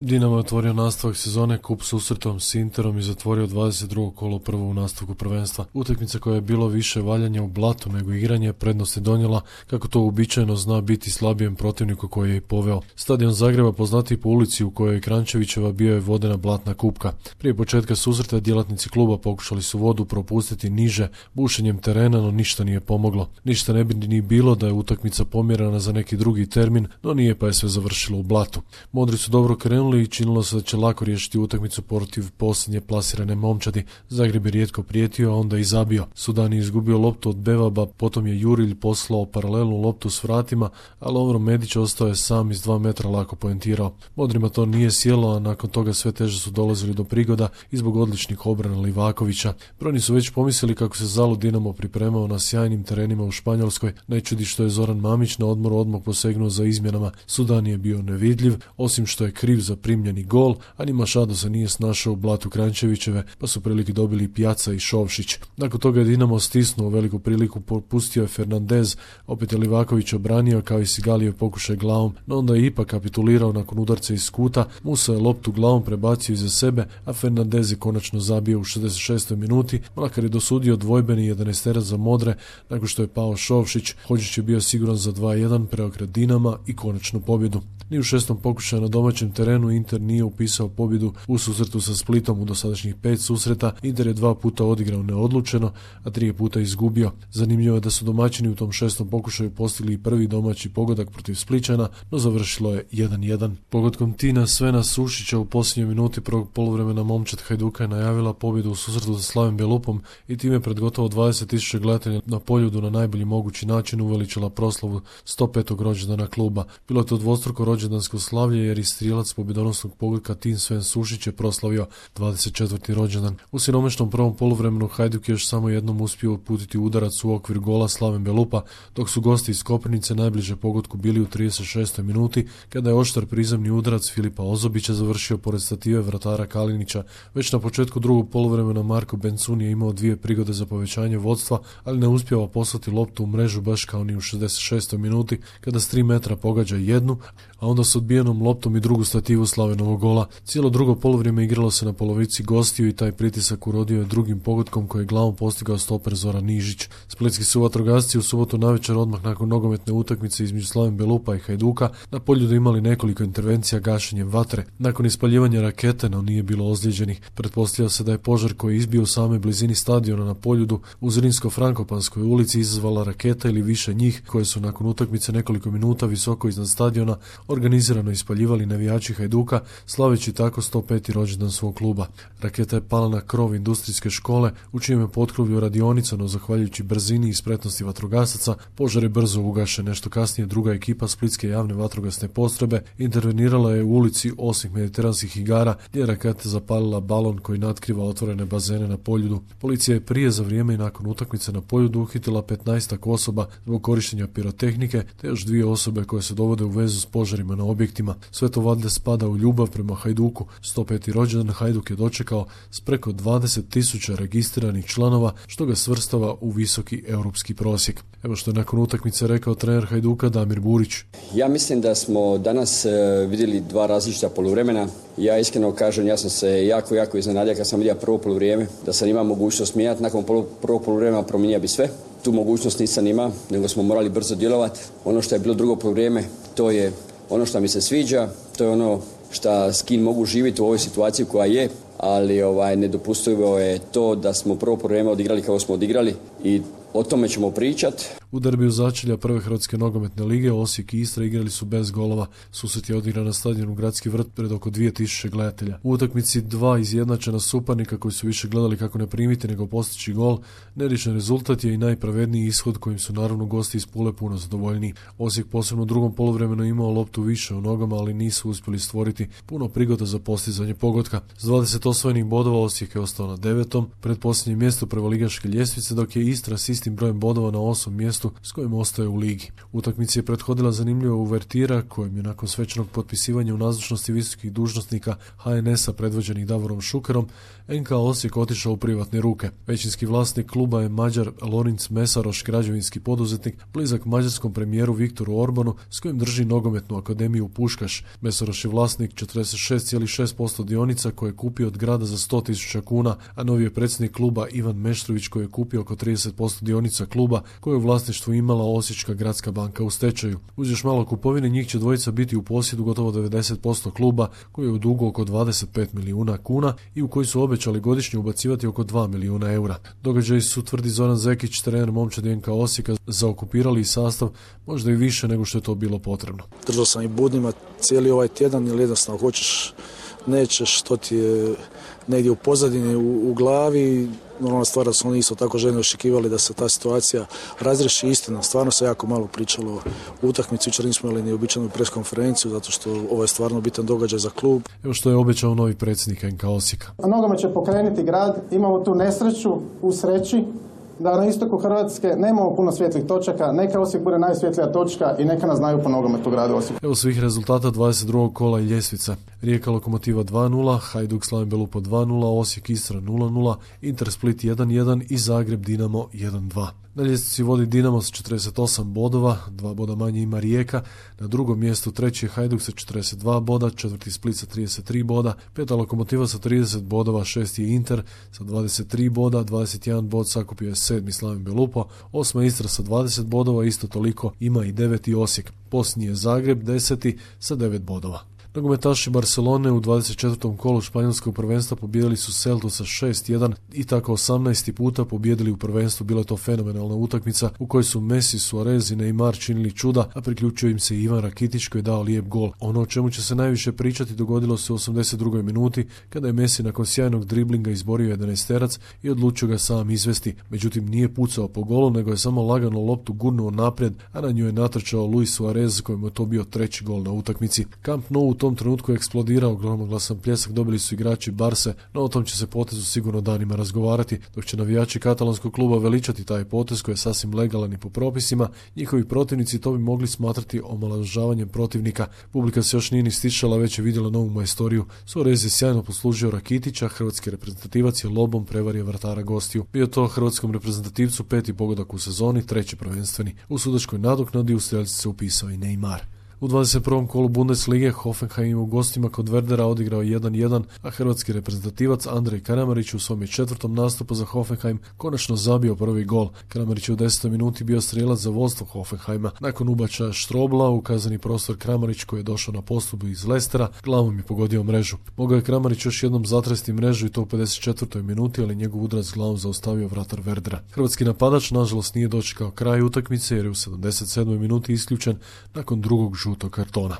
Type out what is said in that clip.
Dinamo je otvorio nastavak sezone kup susretom s Interom i zatvorio 22. kolo prvo u nastavku prvenstva. Utakmica koja je bilo više valjanja u blatu nego igranje prednost je donijela, kako to uobičajeno zna biti slabijem protivniku koji je i poveo. Stadion Zagreba, poznatiji po ulici u kojoj je Kranjčevićeva, bio je vodena blatna kupka. Prije početka susreta djelatnici kluba pokušali su vodu propustiti niže bušenjem terena, no ništa nije pomoglo. Ništa ne bi ni bilo da je utakmica pomjerana za neki drugi termin, no nije, pa je sve završilo u blatu. Modri su dobro krenuli i činilo se da će lako riješiti utakmicu protiv posljednje plasirane momčadi. Zagreb je rijetko prijetio, a onda i zabio. Sudan je izgubio loptu od Bevaba, potom je Jurilj poslao paralelnu loptu s vratima, a Lovro Medić ostao je sam iz 2 metra lako poentirao. Modrima to nije sjelo, a nakon toga sve teže su dolazili do prigoda i zbog odličnih obrana Livakovića. Brojni su već pomislili kako se zalud Dinamo pripremao na sjajnim terenima u Španjolskoj. Ne čudi što je Zoran Mamić na odmoru odmah posegnuo za izmjenama. Sudan je bio nevidljiv, osim što je kriv za primljeni gol, a ni Mašado se nije snašao u blatu Kranjčevićeve, pa su prilike dobili Pjaca i Šovšić. Nakon toga je Dinamo stisnuo veliku priliku, popustio je Fernandez, opet je Livaković obranio kao i Sigalijev pokušaj glavom, no onda je ipak kapitulirao nakon udarca iz kuta. Musa je loptu glavom prebacio iza sebe, a Fernandez je konačno zabio u 66. minuti, makar je dosudio dvojbeni 11 za Modre nakon što je pao Šovšić. Hodžić je bio siguran za 2-1 preokret Dinama i konačnu pobjedu. Ni u 6. pokušaju na domaćem terenu Inter nije upisao pobjedu u susretu sa Splitom. U dosadašnjih 5 susreta Inter je 2 puta odigrao neodlučeno, a 3 puta izgubio. Zanimljivo je da su domaćini u tom 6. pokušaju postigli i prvi domaći pogodak protiv Splićana, no završilo je 1-1. Pogodkom Tina Svena Sušića u posljednjoj minuti prvog poluvremena momčad Hajduka je najavila pobjedu u susretu sa Slavim Belupom i time pred gotovo 20.000 gledatelja na Poljudu na najbolji mogući način uveličila proslavu 105. rođendana kluba. Bilo je to dvostruko rođendansko slavlje jer i strijelac pobjedonosnog pogodka Tin Sven Sušić je proslavio 24. rođendan. U siromašnom prvom poluvremenu Hajduk je još samo jednom uspio uputiti udarac u okvir gola Slaven Belupa, dok su gosti iz Koprivnice najbliže pogodku bili u 36. minuti, kada je oštar prizemni udarac Filipa Ozobića završio pored stative vratara Kalinića. Već na početku drugog poluvremena Marko Bencun je imao 2 prigode za povećanje vodstva, ali ne uspjeva poslati loptu u mrežu baš kao ni u 66. minuti, kada s 3 metra pogađa jednu, a onda s odbijenom loptom i drugu stativu Slavenovog gola. Cijelo drugo poluvrijeme igralo se na polovici gostiju i taj pritisak urodio je drugim pogodkom koji je glavom postigao stoper Zoran Nižić. Splitski su vatrogasci u subotu navečer odmah nakon nogometne utakmice između Slaven Belupa i Hajduka na Poljudu imali nekoliko intervencija gašenjem vatre. Nakon ispaljivanja rakete, no nije bilo ozlijeđenih. Pretpostavlja se da je požar koji je izbio u samoj blizini stadiona na Poljudu u Zrinsko-Frankopanskoj ulici izazvala raketa ili više njih, koje su nakon utakmice nekoliko minuta visoko iznad stadiona organizirano ispaljivali navijači Hajduka, slaveći tako 105. rođendan svog kluba. Raketa je pala na krov industrijske škole, u čijem je potkrovlju radionica, no zahvaljujući brzini i spretnosti vatrogasaca, požar je brzo ugašen. Nešto kasnije druga ekipa Splitske javne vatrogasne postrojbe intervenirala je u ulici Osih mediteranskih igara, gdje je raketa zapalila balon koji natkriva otvorene bazene na Poljudu. Policija je prije, za vrijeme i nakon utakmice na Poljudu uhitila 15 osoba zbog korištenja pirotehnike, te još 2 osobe koje se dovode u vezu s požarima na objektima. Sve to valjda spada u ljubav prema Hajduku. 105. rođendan Hajduk je dočekao s preko 20.000 registriranih članova, što ga svrstava u visoki europski prosjek. Evo što je nakon utakmice rekao trener Hajduka Damir Burić. Ja mislim da smo danas vidjeli 2 različita poluvremena. Ja iskreno kažem, ja sam se jako iznenadio kad sam vidio prvo poluvrijeme, da sam imao mogućnost mijenjati. Nakon prvog poluvremena promijenio bi sve. Tu mogućnost nisam imao, nego smo morali brzo djelovati. Ono što je bilo drugo poluvrijeme, to je ono što mi se sviđa, to je ono s kim mogu živjeti u ovoj situaciji koja je, ali nedopustivo je to da smo prvo vrijeme odigrali kako smo odigrali i o tome ćemo pričati. U derbiju začelja prve Hrvatske nogometne lige Osijek i Istra igrali su bez golova. Susret je odigran na stadionu Gradski vrt pred oko 2000 gledatelja. U utakmici 2 izjednačena suparnika koji su više gledali kako ne primiti nego postići gol. Neriješen rezultat je i najpravedniji ishod kojim su naravno gosti iz Pule puno zadovoljni. Osijek posebno u drugom poluvremenu imao loptu više u nogama, ali nisu uspjeli stvoriti puno prigoda za postizanje pogotka. S 20 osvojenih bodova Osijek je ostao na 9. predposljednjem mjestu prvoligaške ljestvice, dok je Istra s istim brojem bodova na 8. mjestu mjestu s kojim ostaje u ligi. Utakmici je prethodila zanimljiva uvertira kojim je nakon svečanog potpisivanja u nazočnosti visokih dužnosnika HNS-a predvođenih Davorom Šukerom NK Osijek otišao u privatne ruke. Većinski vlasnik kluba je Mađar Lorinc Mesaroš, građevinski poduzetnik, blizak mađarskom premijeru Viktoru Orbanu s kojim drži nogometnu akademiju Puškaš. Mesaroš je vlasnik 46,6% dionica koje je kupio od grada za 100.000 kuna, a novi je predsjednik kluba Ivan Meštrović koji je kupio oko 30% dionica kluba koje je u vlasništvu imala Osječka gradska banka u stečaju. Uz još malo kupovine njih će dvojica biti u posjedu gotovo 90% kluba koji je u dugu oko 25 milijuna kuna i u koji su obećali godišnje ubacivati oko 2 milijuna eura. Događaji su, tvrdi Zoran Zekić, trener momčadi NK Osijeka, zaokupirali sastav možda i više nego što je to bilo potrebno. Držao sam i budnima cijeli ovaj tjedan jer jednostavno hoćeš, nećeš, to ti je negdje u pozadini, u glavi. Normalna stvar da su oni isto tako željno očekivali da se ta situacija razriješi. Istina, stvarno se jako malo pričalo o utakmici. Jučer nismo imali ni običajnu preskonferenciju zato što ovo je stvarno bitan događaj za klub. Evo što je obećao novi predsjednik NK Osijeka. Nogomet će pokrenuti grad, imamo tu nesreću u sreći da na istoku Hrvatske nemamo puno svjetlih točaka, neka Osijek bude najsvjetlija točka i neka nas znaju po nogometu u gradu Osijeku. Evo svih rezultata 22. kola i ljestvica. Rijeka Lokomotiva 2-0, Hajduk Slaven Belupo 2-0, Osijek Istra 0-0, Inter Split 1-1 i Zagreb Dinamo 1-2. Na ljestvici vodi Dinamo s 48 bodova, 2 boda manje ima Rijeka, na drugom mjestu treći je Hajduk sa 42 boda, četvrti Split sa 33 boda, peta Lokomotiva sa 30 bodova, šesti je Inter sa 23 boda, 21 bod sakupio je sedmi Slaven Belupo, osma Istra sa 20 bodova, isto toliko ima i deveti Osijek. Posljednji je Zagreb, 10. sa 9 bodova. Nogometaši Barcelone u 24. kolu španjolskog prvenstva pobijedili su Celtu sa 6-1 i tako 18. puta pobijedili u prvenstvu. Bila je to fenomenalna utakmica u kojoj su Messi, Suarez i Neymar činili čuda, a priključio im se Ivan Rakitić koji je dao lijep gol. Ono o čemu će se najviše pričati dogodilo se u 82. minuti kada je Messi nakon sjajnog driblinga izborio 11-terac i odlučio ga sam izvesti. Međutim, nije pucao po golu, nego je samo lagano loptu gurnuo naprijed, a na nju je natrčao Luis Suarez kojemu je to bio treći gol na utakmici. Camp Nou u tom trenutku je eksplodirao, gromoglasan pljesak dobili su igrači Barse, no o tom će se potezu sigurno danima razgovarati, dok će navijači katalonskog kluba veličati taj potez koji je sasvim legalan i po propisima. Njihovi protivnici to bi mogli smatrati omalovažavanjem protivnika. Publika se još nije ni stišala, već je vidjela novu majstoriju. Suarez je sjajno poslužio Rakitića, hrvatski reprezentativac je lobom prevario vratara gostiju. Bio to hrvatskom reprezentativcu peti pogodak u sezoni, treći prvenstveni. U sudačkoj nadoknadi u strelci se upisao i Neymar. U 21. kolu Bundeslige Hoffenheim u gostima kod Werdera odigrao 1-1, a hrvatski reprezentativac Andrej Kramarić u svom je četvrtom nastupu za Hoffenheim konačno zabio prvi gol. Kramarić je u 10. minuti bio strijelac za vodstvo Hoffenheima. Nakon ubačaja Štrobla u kazani prostor Kramarić koji je došao na postupu iz Lestera, glavom je pogodio mrežu. Mogao je Kramarić još jednom zatresti mrežu i to u 54. minuti, ali njegov udarac glavom zaustavio vratar Werdera. Hrvatski napadač nažalost nije dočekao kraj utakmice jer je u 77. minuti isključen nakon drugog žutog kartona.